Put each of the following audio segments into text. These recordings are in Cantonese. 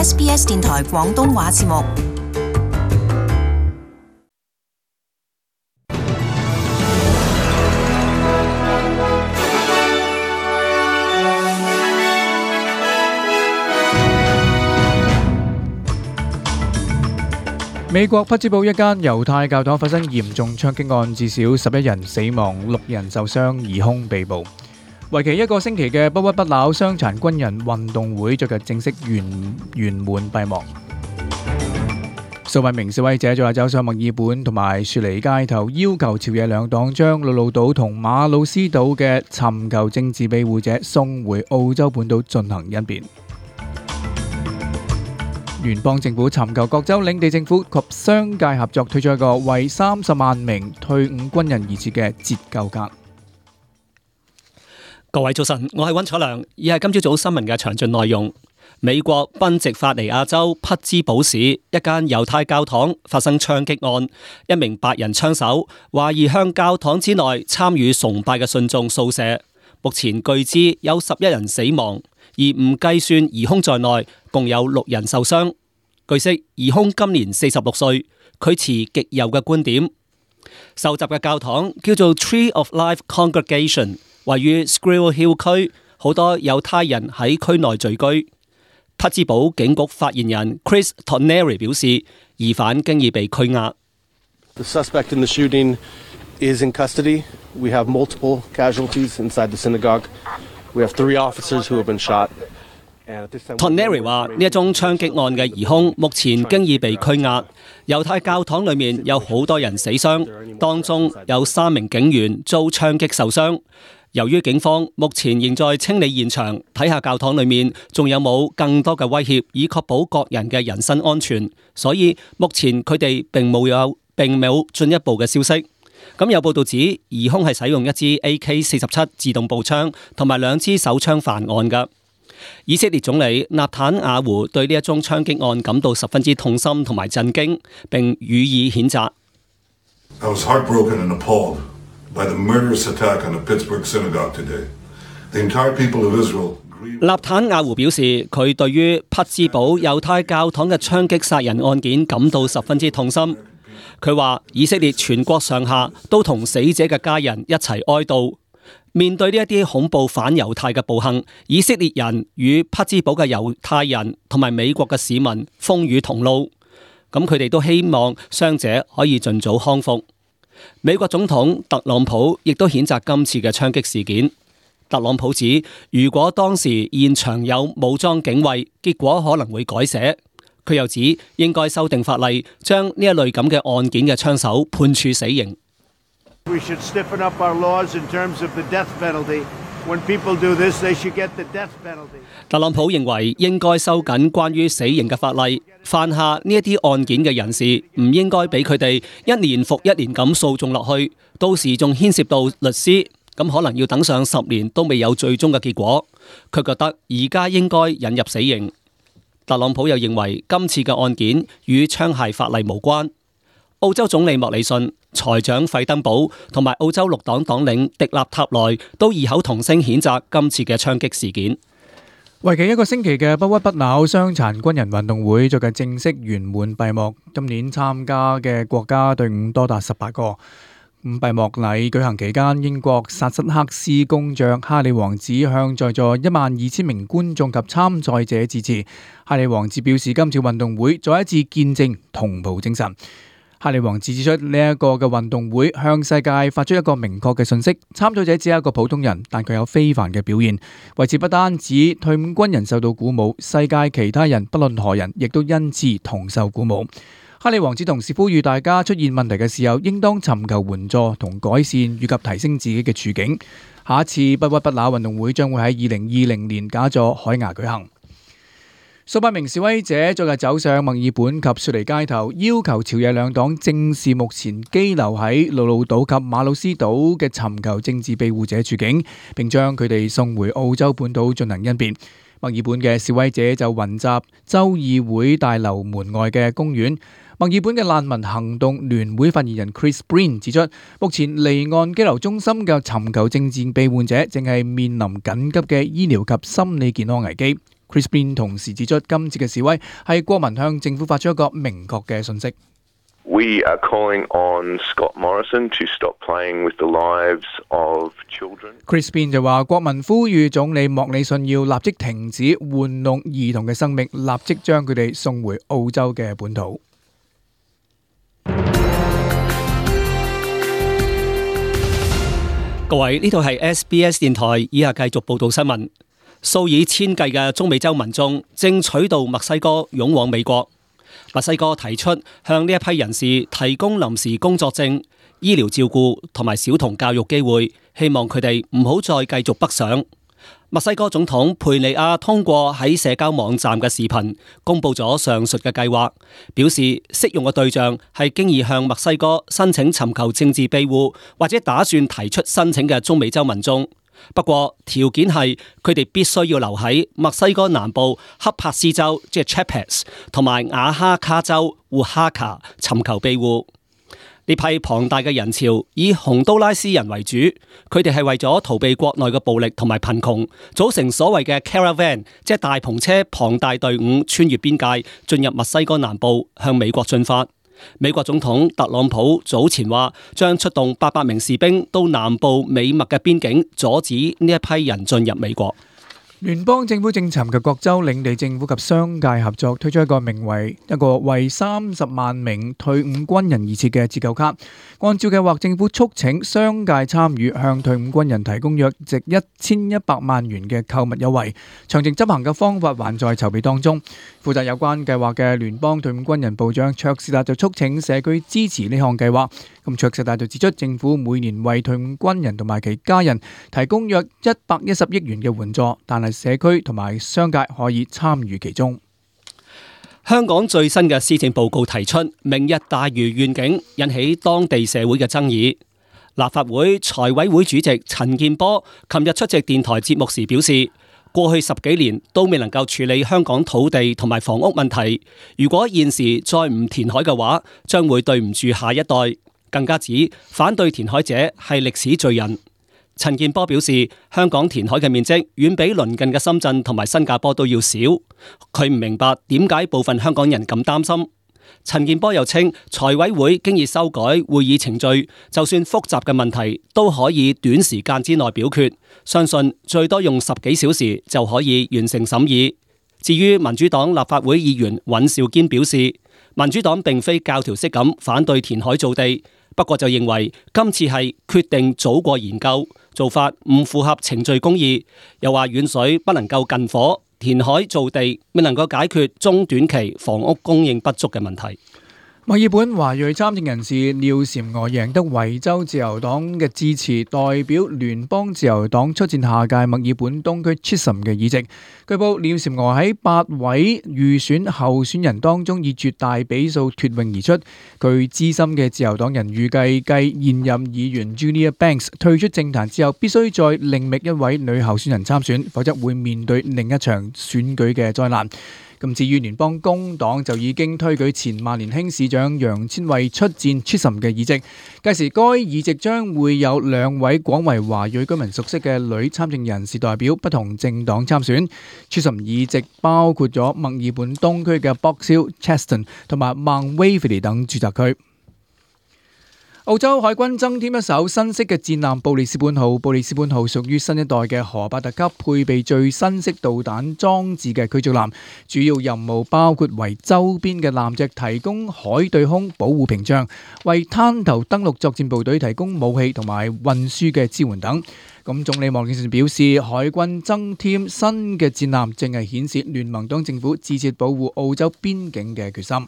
SBS 電台廣東話節目。美國匹茲堡一間猶太教堂發生嚴重槍擊案，至少11人死亡，6人受傷，疑兇被捕。為期1個星期嘅不屈不撓傷殘軍人運動會昨日正式圓滿閉幕。數百名示威者昨日走上墨爾本同埋雪梨街頭，要求朝野兩黨將陸路島同馬魯斯島嘅尋求政治庇護者送回澳洲本島進行甄別。聯邦政府尋求各州領地政府及商界合作，推出一個為30萬名退伍軍人而設嘅折舊卡。各位早晨，我係溫楚良，以下今朝早新聞嘅詳盡內容。美國賓夕法尼亞州匹茲堡市一間猶太教堂發生槍擊案，一名白人槍手懷疑向教堂之內參與崇拜嘅信眾掃射，目前據知有11人死亡。而唔計算疑兇在內，共有6人受傷。據悉，疑兇今年46歲，佢持極右嘅觀點。受襲嘅教堂叫做 Tree of Life Congregation， 位於 Squirrel Hill 區，好多猶太人喺區內聚居。匹茲堡警局發言人 Chris Toneri 表示，疑犯經已被拘押。The suspect in the shooting is in custody. We have multiple casualties inside the synagogue.We have 3 officers who have been shot. Toneri 話：呢一宗槍擊案嘅疑兇目前經已被拘押。猶太教堂裏面有好多人死傷，當中有3名警員遭槍擊受傷。由於警方目前仍在清理現場，睇下教堂裏面仲有冇更多嘅威脅，以確保各人嘅人身安全，所以目前佢哋並冇進一步嘅消息。咁有報道指，疑兇係使用一支 AK-47 自動步槍同埋2支手槍犯案㗎。以色列總理納坦雅胡對呢一宗槍擊案感到十分之痛心同埋震驚，並予以譴責。I was heartbroken and appalled by the murderous attack on the Pittsburgh synagogue today. The entire people of Israel. 納坦雅胡表示，佢對於匹茲堡猶太教堂嘅槍擊殺人案件感到十分之痛心。佢話：以色列全國上下都同死者嘅家人一齊哀悼。面對呢一啲恐怖反猶太嘅暴行，以色列人與匹茲堡嘅猶太人同埋美國嘅市民風雨同路。咁佢哋都希望傷者可以盡早康復。美國總統特朗普亦都譴責今次嘅槍擊事件。特朗普指，如果當時現場有武裝警衛，結果可能會改寫。佢又指應該修訂法例，將呢一類咁嘅案件嘅槍手判處死刑。特朗普認為應該收緊關於死刑嘅法例，犯下呢一啲案件嘅人士唔應該俾佢哋一年復一年咁訴訟落去，到時仲牽涉到律師，咁可能要等上10年都未有最終嘅結果。佢覺得而家應該引入死刑。特朗普又認為今次嘅案件與槍械法例無關。澳洲總理莫里遜、財長費登堡同埋澳洲綠黨黨領迪納塔內都異口同聲譴責今次嘅槍擊事件。為期1個星期嘅不屈不撓傷殘軍人運動會昨日正式圓滿閉幕。今年參加嘅國家隊伍多達18個。閉幕禮舉行期間，英國薩瑟克斯公爵哈利王子向在座12000名觀眾及參賽者致辭。哈利王子表示，今次運動會再一次見證同袍精神。哈利王子指出，呢一個嘅運動會向世界發出一個明確嘅信息：參賽者只係一個普通人，但佢有非凡嘅表現。為此不單止退伍軍人受到鼓舞，世界其他人不論何人，亦都因此同受鼓舞。哈利王子同時呼籲大家出現問題嘅時候，應當尋求援助同改善，以及提升自己嘅處境。下一次不屈不撓運動會將會喺2020年假座海牙舉行。數百名示威者昨日走上墨爾本及雪梨街頭，要求朝野兩黨正視目前羈留喺陸路島及馬魯斯島嘅尋求政治庇護者處境，並將佢哋送回澳洲本島進行甄別。墨爾本嘅示威者就雲集州議會大樓門外嘅公園。墨爾本嘅難民行動聯會發言人 Chris Breen 指出，目前離岸羈留中心嘅尋求政治庇護者正係面臨緊急嘅醫療及心理健康危機。Chris Bean 同時指出，今次嘅示威係國民向政府發出一個明確嘅訊息。We are calling on Scott Morrison to stop playing with the lives of children. Chris Bean 就話，國民呼籲總理莫里遜要立即停止玩弄兒童嘅生命，立即將佢哋送回澳洲嘅本土。各位，呢度係 SBS 電台，以下繼續報道新聞。數以千計嘅中美洲民眾正取道墨西哥湧往美國。墨西哥提出向呢一批人士提供臨時工作證、醫療照顧同埋小童教育機會，希望佢哋唔好再繼續北上。墨西哥總統佩尼亞通過喺社交網站嘅視頻公佈咗上述嘅計劃，表示適用嘅對象係經已向墨西哥申請尋求政治庇護或者打算提出申請嘅中美洲民眾。不過條件係佢哋必須要留喺墨西哥南部恰帕斯州，即係 Chiapas 同埋瓦哈卡州烏哈卡尋求庇護。呢批龐大嘅人潮以洪都拉斯人為主，佢哋係為咗逃避國內嘅暴力同埋貧窮，組成所謂嘅 caravan， 即係大篷車龐大隊伍穿越邊界進入墨西哥南部向美國進發。美國總統特朗普早前話將出動800名士兵到南部美墨嘅邊境，阻止呢一批人進入美國。聯邦政府正尋求各州領地政府及商界合作，推出一個為30萬名退伍軍人而設嘅折扣卡。按照計劃，政府促請商界參與，向退伍軍人提供約值1100萬元嘅購物優惠。詳情執行嘅方法還在籌備當中。負責有關計劃嘅聯邦退伍軍人部長卓士達就促請社區支持呢項計劃。咁卓士達就指出，政府每年為退伍軍人同埋其家人提供約110億元嘅援助，但係社區同埋商界可以參與其中。香港最新嘅施政報告提出明日大嶼願景，引起當地社會嘅爭議。立法會財委會主席陳健波琴日出席電台節目時表示，過去10幾年都未能夠處理香港土地同埋房屋問題，如果現時再唔填海嘅話，將會對唔住下一代。更加指反對填海者係歷史罪人。陳健波表示，香港填海嘅面積遠比鄰近嘅深圳同埋新加坡都要少，佢唔明白點解部分香港人咁擔心。陳健波又稱，財委會經已修改會議程序，就算複雜嘅問題都可以短時間之內表決，相信最多用10幾小時就可以完成審議。至於民主黨立法會議員尹兆堅表示，民主黨並非教條式咁反對填海造地，不過就認為今次係決定早過研究，做法唔符合程序公義，又話遠水不能夠近火，填海造地未能夠解決中短期房屋供應不足嘅問題。墨爾本華裔參政人士廖嬋娥贏得維州自由黨嘅支持，代表聯邦自由黨出戰下屆墨爾本東區 Chisholm 嘅議席。據報，廖嬋娥喺8位預選候選人當中以絕大比數脫穎而出。據資深嘅自由黨人預計，繼現任議員 Julia Banks 退出政壇之後，必須再另覓一位女候選人參選，否則會面對另一場選舉嘅災難。咁至於聯邦工黨就已經推舉前萬年輕市長楊千惠出戰 Chisholm 嘅議席，屆時該議席將會有2位廣為華裔居民熟悉嘅女參政人士代表不同政黨參選。Chisholm 議席包括咗墨爾本東區嘅 Box Hill、Cheston 同埋 Mount Waverley 等住宅區。澳洲海軍增添一艘新式嘅戰艦布里斯本號。布里斯本號屬於新一代嘅荷伯特級，配備最新式導彈裝置嘅驅逐艦，主要任務包括為周邊嘅艦隻提供海對空保護屏障，為灘頭登陸作戰部隊提供武器同埋運輸嘅支援等。咁總理莫里遜表示，海軍增添新嘅戰艦，正係顯示聯盟黨政府致切保護澳洲邊境嘅決心。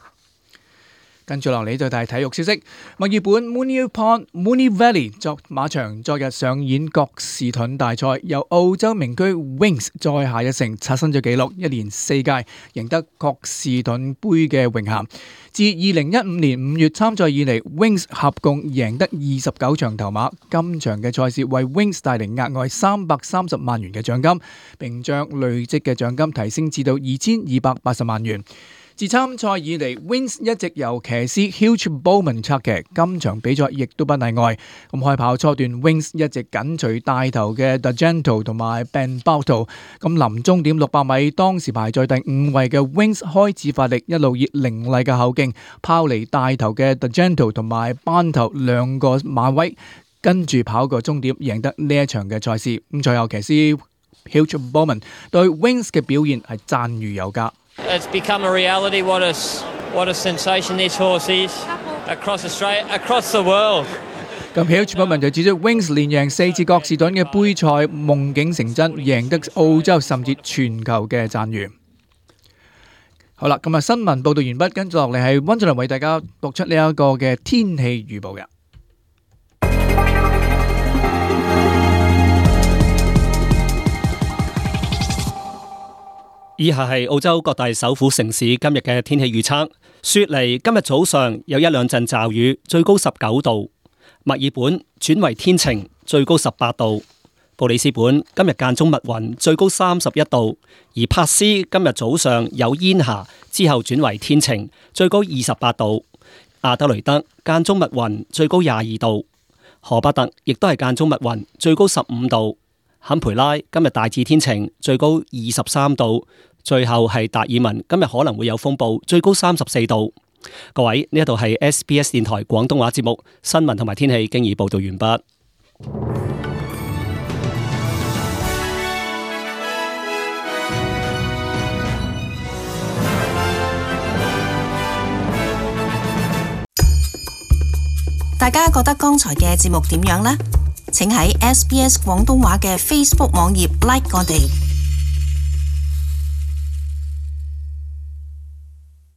跟住落嚟就係體育消息，墨爾本 Moonee Valley 作馬場昨日上演葛士頓大賽，由澳洲名駒 Wings 再下一城，刷新咗紀錄，一連4屆贏得葛士頓杯嘅榮銜。自2015年5月參賽以嚟 ，Wings 合共贏得29場頭馬，今場嘅賽事為 Wings 帶嚟額外330萬元嘅獎金，並將累積嘅獎金提升至到2280萬元。自參賽以嚟 ，Wings 一直由騎師 Hugh Bowman 策騎，今場比賽亦都不例外。咁開跑初段 ，Wings 一直緊隨帶頭嘅 D'Argento 同埋 Ben Bartle。咁臨終點600米，當時排在第5位嘅 Wings 開始發力，一路以凌厲嘅後勁拋離帶頭嘅 D'Argento 同埋班頭兩個馬位，跟住跑過終點，贏得呢一場嘅賽事。咁最後騎師 Hugh Bowman 對 Wings 嘅表現係讚譽有加。It's become a reality. What a sensation this horse is across Australia, across the world. 咁 Hugh Bowman 就指出 Wings 連贏4次國士頓嘅杯賽，夢境成真，贏得澳洲甚至全球嘅讚譽。好啦，咁新聞報道完畢，跟住落嚟係溫俊良為大家讀出呢一個嘅天氣預報嘅。以下係澳洲各大首府城市今日嘅天氣預測。雪梨今日早上有一兩陣驟雨，最高19度。墨爾本轉為天晴，最高18度。布里斯本今日間中密雲，最高31度。而珀斯今日早上有煙霞，之後轉為天晴，最高28度。阿德雷德間中密雲，最高22度。荷伯特亦都係間中密雲，最高15度。坎培拉今日大致天晴，最高23度。最後係達爾文，今日可能會有風暴，最高34度。各位，呢一度係 SBS 電台廣東話節目新聞同埋天氣，經已報道完畢。大家覺得剛才嘅節目點樣呢？請喺 SBS 廣東話嘅 Facebook 網頁 like 我哋。